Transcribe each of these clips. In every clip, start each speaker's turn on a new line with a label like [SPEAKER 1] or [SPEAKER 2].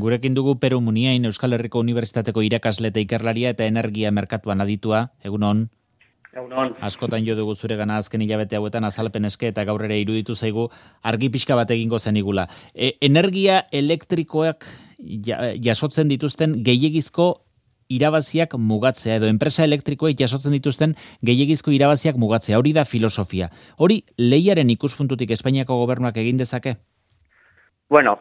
[SPEAKER 1] Gurekin dugu Peru Muniain, Euskal Herriko Unibertsitateko irakasle eta ikerlaria eta energia merkatuan aditua, egunon.
[SPEAKER 2] Egunon.
[SPEAKER 1] Askotan jo dugu zure gana azken hilabete hauetan azalpen eske eta gaur ere iruditu zaigu argi pixka bat egingo zenigula. Energia elektrikoak jasotzen dituzten gehiegizko irabaziak mugatzea edo enpresa elektrikoek jasotzen dituzten gehiegizko irabaziak mugatzea. Hori da filosofia. Hori lehiaren ikuspuntutik Espainiako gobernuak egin dezake?
[SPEAKER 2] Bueno,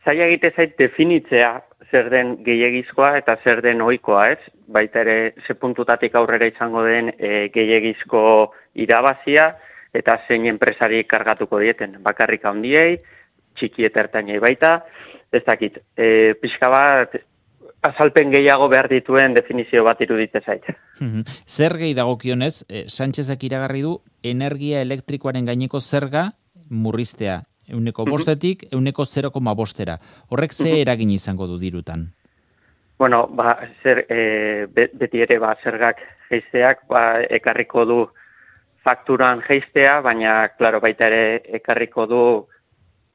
[SPEAKER 2] zaila egite zait definitzea zer den gehiegizkoa eta zer den ohikoa, ez? Baita ere, ze puntutatik aurrera izango den gehiegizko irabazia eta zein enpresari kargatuko dieten. Bakarrik handiei, txiki eta ertainei baita, ez dakit. Pixka bat, azalpen gehiago behar dituen definizio bat iruditze zait.
[SPEAKER 1] Zer gehi dagokionez, Sánchezek iragarri du energia elektrikoaren gaineko zerga murriztea. 1,5-etik 0,5-era. Horrek ze eragin izango du dirutan?
[SPEAKER 2] Bueno, beti ere zergak jeisteak ekarriko du fakturan jeistea, baina, klaro, baita ere ekarriko du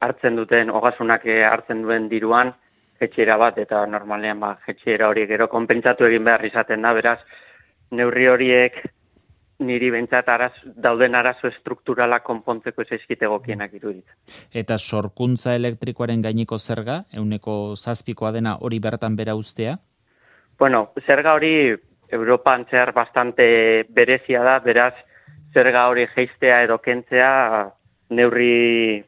[SPEAKER 2] hartzen duten, ogasunak hartzen duen diruan, jetxera bat, eta normalean jetxera hori gero konpentsatu egin behar izaten da, beraz, neurri horiek niri bentsat dauden arazo strukturala konpontzeko zaizkit egokienak iruditzen.
[SPEAKER 1] Eta sorkuntza elektrikoaren gaineko zerga, 7%koa dena hori bertan bera uztea?
[SPEAKER 2] Bueno, zerga hori Europan zehar bastante berezia da, beraz, zerga hori jeistea edo kentzea neurri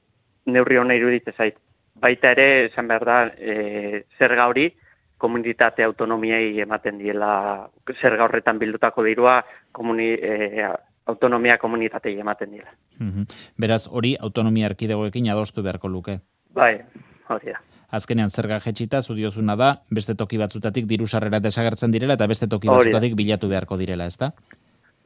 [SPEAKER 2] hona iruditzen zait. Baita ere, esan behar da, zerga hori komunitate autonomiei ematen diela, zerga horretan bildutako dirua, autonomia komunitatei ematen dira.
[SPEAKER 1] Beraz, hori autonomia erkidegoekin adostu beharko luke.
[SPEAKER 2] Bai, hori da.
[SPEAKER 1] Azkenean zerga jetxita, zudiozuna da, beste toki batzutatik diru sarrera desagertzen direla eta beste toki batzutatik bilatu beharko direla, ezta?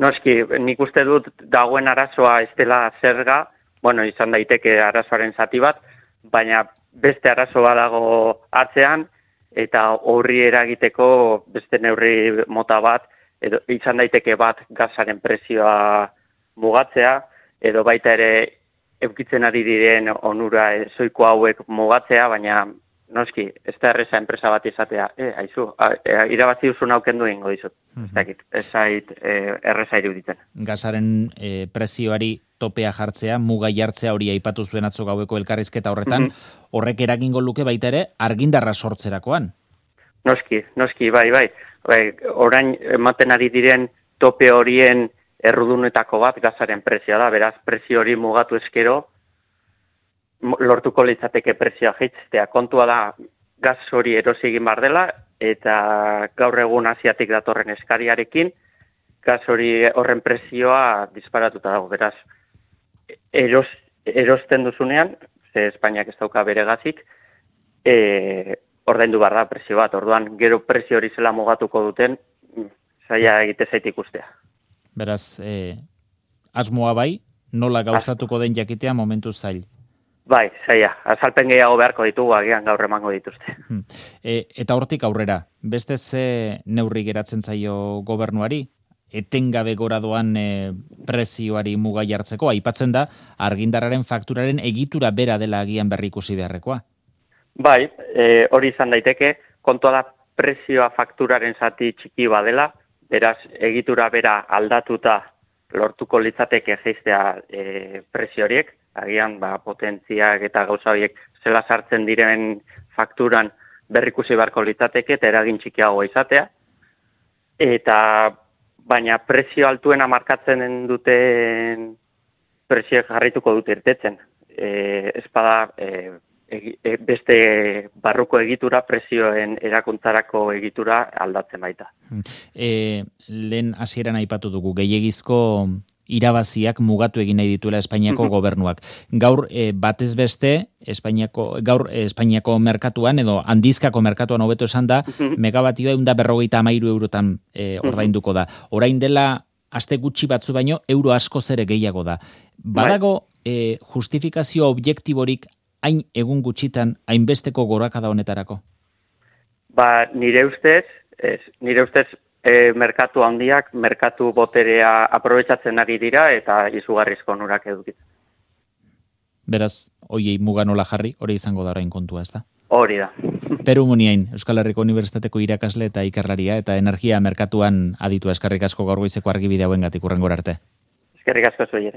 [SPEAKER 2] Noski, nik uste dut dagoen arazoa ez dela zerga, bueno, izan daiteke arazoaren zati bat, baina beste arazoa dago atzean, eta horri eragiteko beste neurri mota bat, edo izan daiteke bat gazaren prezioa mugatzea, edo baita ere eukitzen ari diren onura zoiko hauek mugatzea, baina noski, ez da erreza enpresa bat izatea, haizu, irabazi duzun aukendu egingo dizut, ez zait erreza iruditzen.
[SPEAKER 1] Gazaren prezioari topea jartzea, muga jartzea hori aipatu zuen atzo gaueko elkarrizketa horretan, horrek eragingo luke baita ere argindarra sortzerakoan.
[SPEAKER 2] Noski, bai. Orain ematen ari diren tope horien errudunetako bat gazaren prezioa da, beraz prezio hori mugatu eskero, lortuko litzateke prezioa jaitstea. Kontua da, gaz hori erosi egin bar dela, eta gaur egun Asiatik datorren eskariarekin, gaz hori horren prezioa disparatuta dago, beraz, erosten duzunean, ze Espainiak ez dauka bere gazik, ordaindu behar da prezio bat, orduan gero prezio hori zela mugatuko duten, zaila egite zait ikustea.
[SPEAKER 1] Beraz, asmoa bai, nola gauzatuko den jakitea momentu zail.
[SPEAKER 2] Bai, zaila, azalpen gehiago beharko ditugu, agian gaur emango dituzte.
[SPEAKER 1] Eta hortik aurrera, beste ze neurri geratzen zaio gobernuari? Etengabe gora doan prezioari muga jartzeko, aipatzen da, argindarraren fakturaren egitura bera dela agian berri ikusi beharrekoa.
[SPEAKER 2] Bai, hori izan daiteke, kontua da prezioa fakturaren zati txiki badela, beraz egitura bera aldatuta lortuko litzateke jeistea prezio horiek, agian potentziak eta gauza horiek zela sartzen diren fakturan berrikusi beharko litzateke eta eragin txikiagoa izatea, baina prezio altuena markatzen duten prezioek jarrituko dute irtetzen. Espada beste barruko egitura, prezioen erakuntzarako egitura aldatzen baita.
[SPEAKER 1] Lehen hasieran aipatu dugu, gehiegizko irabaziak mugatu egin nahi dituela Espainiako gobernuak. Gaur batez beste, Espainiako merkatuan, edo handizkako merkatuan hobeto esan da, megabatioa 153 eurotan ordainduko da. Orain dela aste gutxi batzu baino, euro asko zere gehiago da. Badago justifikazio objektiborik hain egun gutxitan hainbesteko gorakada honetarako?
[SPEAKER 2] Nire ustez, merkatu handiak, merkatu boterea aprobetxatzen ari dira eta izugarrizko onurak edukitzen.
[SPEAKER 1] Beraz, hoiei muga nola jarri, hori izango da orain kontua, ezta?
[SPEAKER 2] Hori da.
[SPEAKER 1] Peru Muniain, Euskal Herriko Unibertsitateko irakasle eta ikerlaria eta energia merkatuan aditu. Eskerrik asko gaur goizeko argibide hauengatik hurrengora arte.
[SPEAKER 2] Eskerrik asko zuei ere.